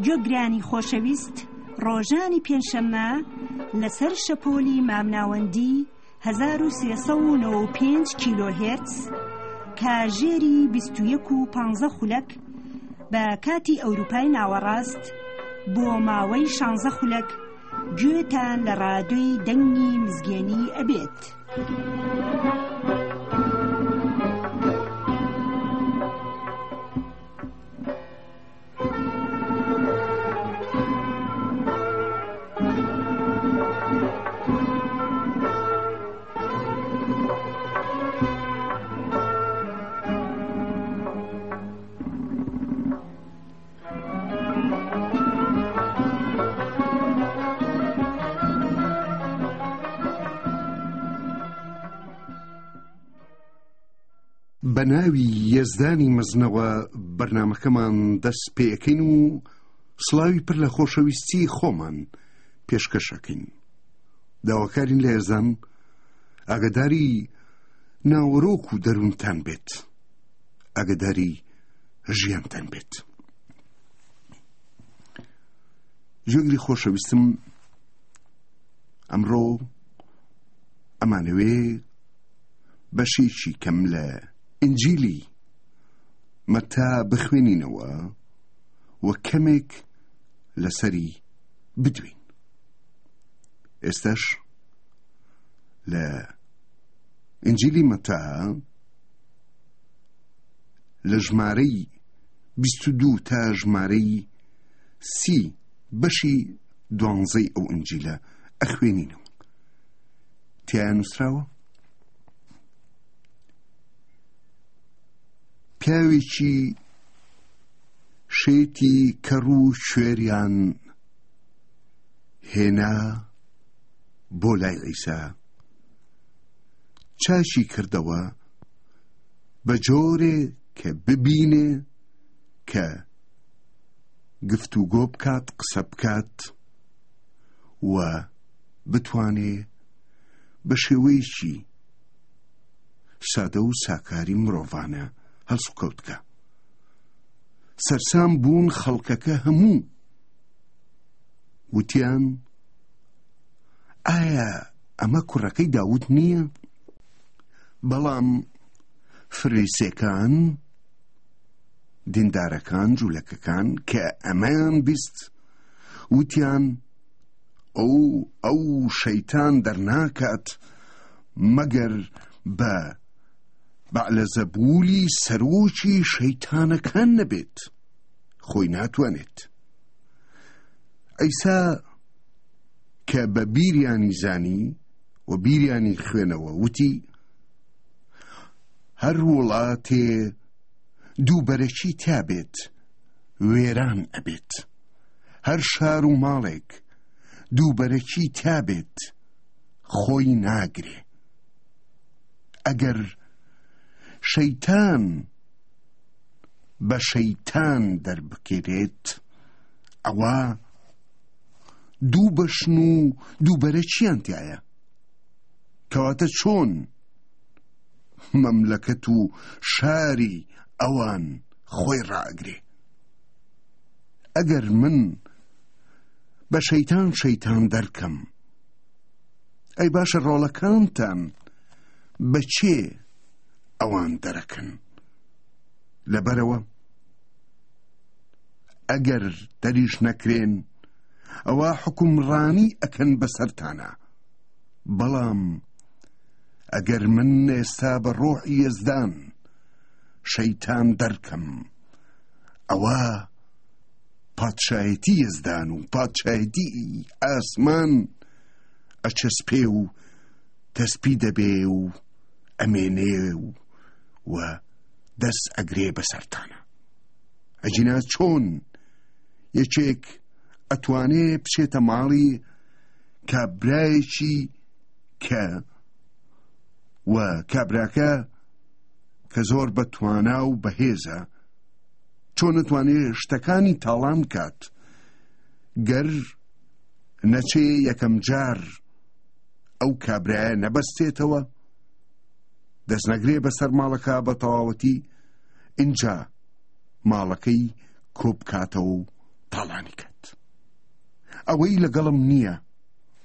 گوێگرانی خۆشەویست ڕۆژانی پێنجشەممە لەسەر شەپۆلی مامناوەندی 1395 کیلۆهێرتز کاژێری 21 و 15 خولەک بە کاتی ئەوروپای ناوەڕاست بۆ ماوەی شانزە خولەک گوێتان لە ڕادیۆی دەنگی مزگێنی ئەبێت. بە ناوی یەزدانی مەزنەوە بەرنامەکەمان دەست پێەکەین و سڵاوی پر لە خۆشەویستی خۆمان پێشکەشەکەین. داواکارین لە یەزدان ئاگداری ناوەرۆک و دەروونتان بێت. ئاگداری ژیانتان بێت. جێگری خۆشەویستم ئەمڕۆ ئەمانەوێ بەشێکی کەم لە ئینجیلی مەتا بخوێنینەوە و کەمێک لەسەری بدوین ئێستاش لە ئینجیلی مەتا لە ژمارەی 22 تا ژمارەی سی بەشی دوانزەی ئەو ئینجیلە ئەخوێنینەوە تیا نووسراوە پیاوێکی شێتی کەڕ و کوێریان هێنا بۆ لای عیسا چاکی کردەوە بە جۆرێ کە ببینێ کە گفتوگۆ بکات قسە بکات و بتوانێ بە شێوەیەکی سادە و ساکاری مرۆڤانە هەڵسوکەوت بکا. سەرسام بوون خەڵکەکە هەموو وتیان ئایا ئەمە کوڕەکەی داود نییە؟ بەڵام فریسێکان دیندارەکان جوولەکەکان کە ئەمەیان بیست وتیان ئەو ئەو شەیتان دەرناکات مەگەر بە بەعلەزەبولی سەرۆکی شەیتانەکان نەبێت خۆی ناتوانێت ئەیسا کە بە بیریانی زانی و بیریانی خوێنەوە وتی هەر وڵاتێ دووبەرەکی تیابێت وێران ئەبێت هەر شار و ماڵێک دووبەرەکی تیابێت خۆی ناگرێ ئەگەر شەیتان بە شەیتان دەربکرێت ئەوە دوو بەشن و دووبەرەکیان تایە کەواتە چۆن مەملەکەت و شاری ئەوان خۆی ڕائەگرێ ئەگەر من بە شەیتان شەیتان دەرکەم ئەی باشە ڕۆڵەکانتان بە چێ ئەوان دەرەکەن لەبەرەوە ئەگەر دەریش نەکرێن ئەوە حکومڕانی ئەکەن بەسەرتانە بەڵام ئەگەر من ئێستا بە ڕۆحی یەزدان شەیتان دەرکەم ئەوە پادشایەتی یەزدان و پادشایەتی ئاسمان ئەچەسپێ و تەسپی دەبێ و ئەمێنێ و و دەست ئەگرێ بەسەرتانە ئەجینا چۆن یەکێک ئەتوانێ بچێتە ماڵی کابرایەکی کە و کابراکە کە زۆر بە توانا و بەهێزە چۆن نەتوانێ شتەکانی تاڵان بکات گەر نەچێ یەکەم جار ئەو کابرایە نەبەستێتەوە دەست نەگرێ بەسەر ماڵەکە بە تەواوەتی ئینجا ماڵەکەی کۆبکاتەوە و تاڵانی کات. ئەوەی لەگەڵم نییە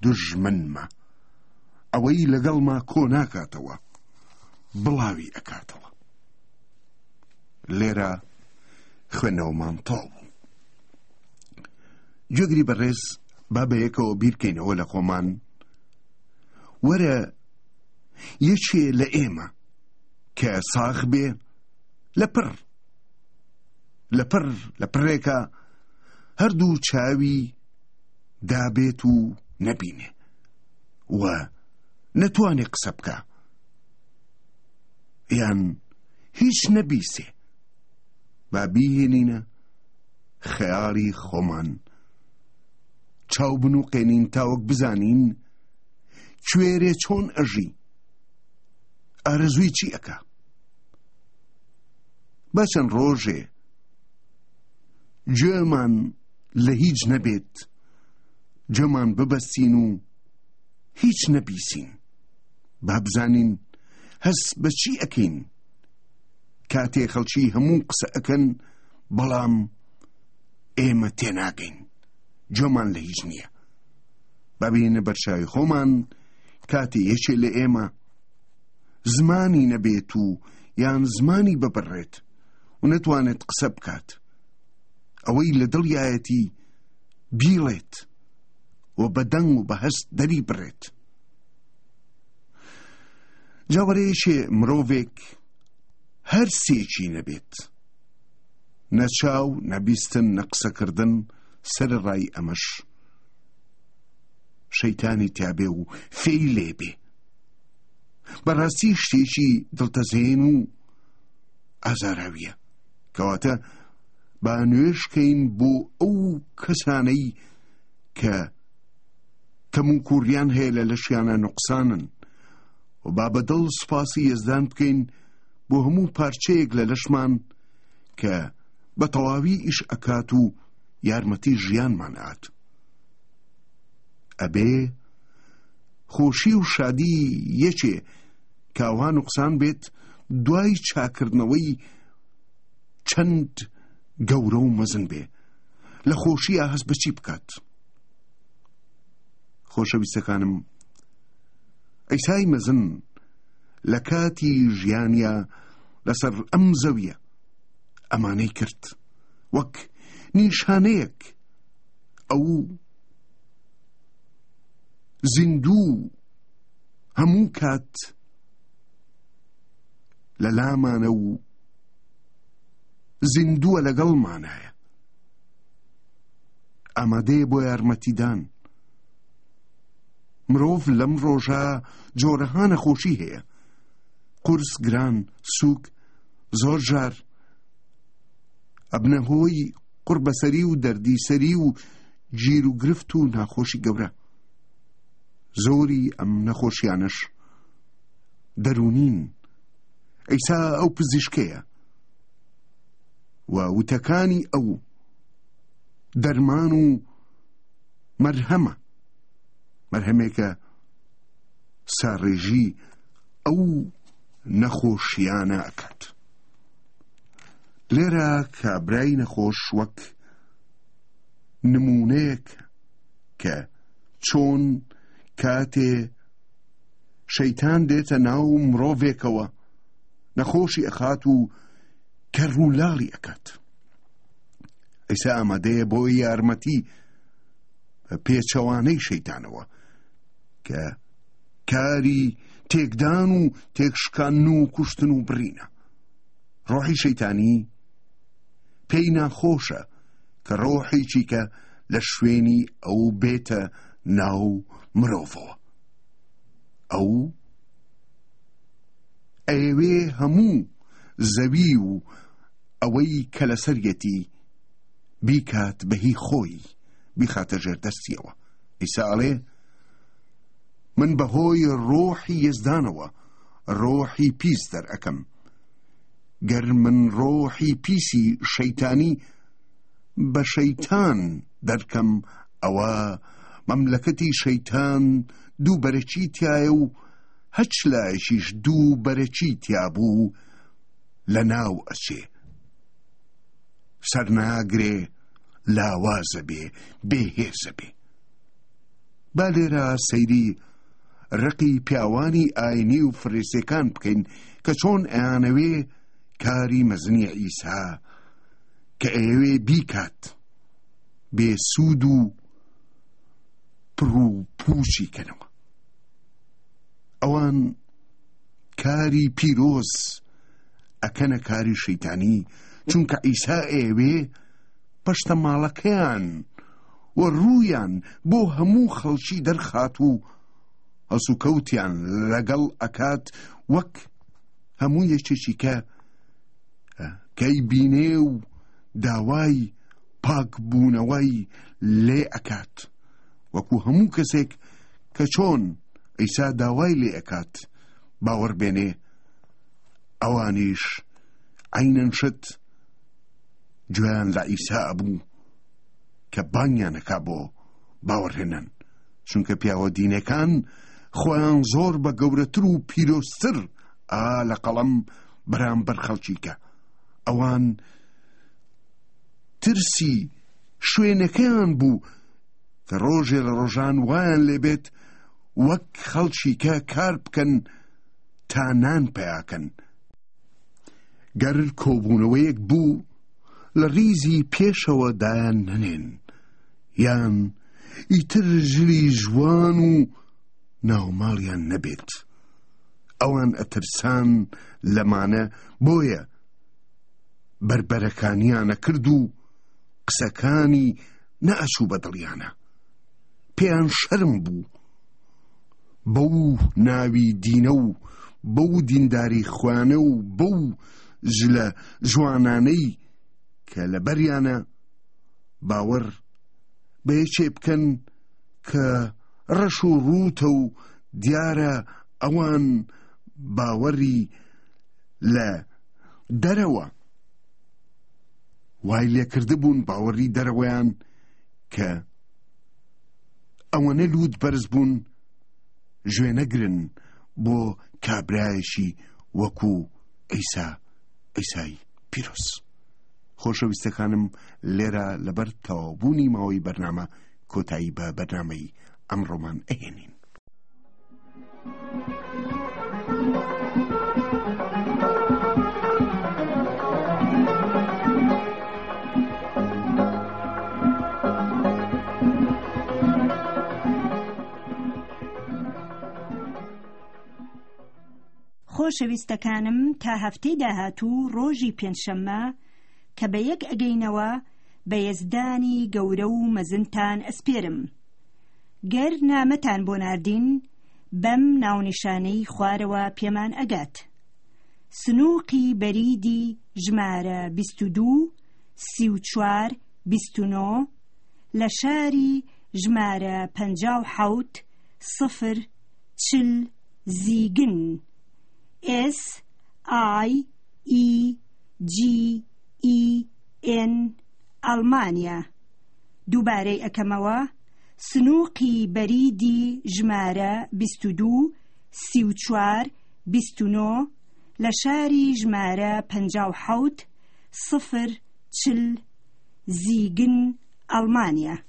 دوژمنمە، ئەوەی لەگەڵما کۆ ناکاتەوە بڵاوی ئەکاتەوە. لێرە خوێندنەوەمان تەواو بوو. گوێگری بەڕێز با بەیەکەوە بیرکەینەوە لە خۆمان وەرە یەکێ لە ئێمە کە ساغ بێ لە پڕ لە پڕ لە پڕێکە هەردوو چاوی دابێت و نەبینێ و نەتوانێ قسە بکە یان هیچ نەبیسێ با بیهێنینە خەیاڵی خۆمان چاو بنوقێنین تاوەک بزانین کوێرێ چۆن ئەژی ئارەزووی چی ئەکا با چەند ڕۆژێ گوێمان لە هیچ نەبێت گوێمان ببەستین و هیچ نەبیسین با بزانین هەست بە چی ئەکەین کاتێ خەڵکی هەموو قسە ئەکەن بەڵام ئێمە تێناگەین گوێمان لە هیچ نییە با بینە بەرچاوی خۆمان کاتێ یەکێ لە ئێمە زمانی نەبێت و یان زمانی ببڕێت و نەتوانێت قسە بکات ئەوەی لە دڵیایەتی بیڵێت و بە دەنگ و بە هەست دەری بڕێت جاوەرەیەکێ مرۆڤێک هەر سێکی نەبێت نە چاو نە بیستن نە قسەکردن سەرەڕای ئەمەش شەیتانی تیابێ و فێی لێبێ بەڕاستی شتێکی دڵتەزێن و ئازاراویە کەواتە با نوێژکەین بۆ ئەو کەسانەی کە کەم و کوڕیان هەیە لە لەشیانە نوقسانن و با بە دڵ سوپاسی یەزدان بکەین بۆ هەموو پارچەیەک لە لەشمان کە بە تەواوی ئیش ئەکات و یارمەتی ژیانمان ئات ئەبێ خۆشی و شادی یەکێ کاوان و قسان بێت دوای چاکردنەوەی چەند گەورە و مەزن بێ لە خۆشییا هەست بە چی بکات خۆشەویستەکانم ئەیسای مەزن لە کاتی ژیانیا لەسەر ئەم زەویە ئەمانەی کرد وەک نیشانەیەک ئەو زیندوو هەموو کات لە لامانە و زیندووە لەگەڵمانایە ئامادەیە بۆ یارمەتیدان مرۆڤ لەم ڕۆژە جۆرەها نەخۆشی هەیە قورس گران سوک زۆر جار ئەبنە هۆی قوڕبەسەری و دەردیسەری و گیر و گرفت و ناخۆشی گەورە زۆری ئەم نەخۆشیانەش دەروونین ئەیسا ئەو پزیشکەیە و وتەکانی ئەو دەرمان و مەرهەمە مەرهەمێکە ساڕێژی ئەو نەخۆشیانە ئەکات لێرە کابرای نەخۆش وەک نمونەیەک کە چۆن کاتێ شەیتان دێتە ناو مرۆڤێکەوە نەخۆشی ئەخات و کەڕولاڵی ئەکات ئەیسا ئامادەیە بۆ یارمەتی پێچەوانەی شەیتانەوە کە کاری تێکدان و تێکشکان و کوشتن و بڕینە ڕۆحی شەیتانی پێی ناخۆشە کە ڕۆحێکی کە لە شوێنی ئەو بێتە ناو مرۆڤەوە ئەو ئەیەوێ هەموو زەوی و ئەوەی کە لەسەریەتی بیکات بە هی خۆی بیخاتە ژێر دەستیەوە ئیسا ئەڵێ من بەهۆی ڕۆحی یەزدانەوە ڕۆحی پیس دەرئەکەم گەر من ڕۆحی پیسی شەیتانی بە شەیتان دەرکەم ئەوە مەملەکەتی شەیتان دوو بەرەکی تایە و هەچ لایەکیش دوو بەرەکی تیابوو لە ناو ئەچێ سەرناگرێ. لاوازە بێ، بێ هێزە بێ. با لێرە سەیری ڕقی پیاوانی ئاینی و فریسیەکان بکەین کە چۆن ئەیانەوێ کاری مەزنی عیسا کە ئەیەوێ بیکات بێ سوود و پڕ و پووچی کەنەوە. ئەوان کاری پیرۆز ئەکەنە کاری شەیتانی چونکە عیسا ئەیەوێ پەشتەماڵەکەیان و ڕوویان بۆ هەموو خەڵکی دەرخات و هەڵسوکەوتیان لەگەڵ ئەکات وەک هەموو یەکێکی کە کەی بینێ و داوای پاکبوونەوەی لێ ئەکات وەکو هەموو کەسێک کە چۆن عیسا داوای لێ ئەکات باوەڕ بێنێ ئەوانیش عەینەن شت گوێیان لە عیسا ئەبوو کە بانگیان ئەکا بۆ باوەڕهێنان چونکە پیاوە دینەکان خۆیان زۆر بە گەورەتر و پیرۆزتر ئا لە قەڵەم بەرامبەر خەڵکی کە ئەوان ترسی شوێنەکەیان بوو کە ڕۆژێ لە ڕۆژان وایان لێبێت وەک خەڵکی کە کار بکەن تا نان پیاکەن. گەر کۆبوونەوەیەک بوو لە ڕیزی پێشەوە دایان نەنێن یان ئیتر ژلی ژوان و ناوماڵیان نەبێت. ئەوان ئەترسان لەمانە بۆیە بەربەرەکانیانە کرد و قسەکانی نەئەچوو بە دڵیانە. پێیان شەرم بوو بەو ناوی دینە و بەو دینداری خۆیانە و بەو جلە جوانانەی کە لەبەریانە باوەڕ بە یەکێ بکەن کە ڕەش و ڕووتە و دیارە ئەوان باوەڕی لە دەرەوە وای لێکردبوون باوەڕی دەرەوەیان کە ئەوەنە لووت بەرز بوون ژێ نەگرن بۆ کابرایەکی وەکو عیسا عیسای پیرۆز. خۆشەویستەکانم لێرە لەبەر تەواوبوونی ماوەی بەرنامە کۆتایی بە بەرنامەی ئەمڕۆمان ئەهێنین. خۆشەویستەکانم تا هەفتەی داهاتوو ڕۆژی پێنجشەممە کە بە یەک ئەگەینەوە بە یەزدانی گەورە و مەزنتان ئەسپێرم. گەر نامەتان بۆ ناردین بەم ناونیشانەی خوارەوە پێمان ئەگات. سنوقی بەریدی ژمارە 22 34 29 لە شاری ژمارە 57 0 40 زیگن S I E G E N ئەڵمانیا. دووبارەی ئەکەمەوە، سنوقی بەریدی ژمارە 22 34 29 لە شاری ژمارە 57 0 40 زیگن ئەڵمانیا.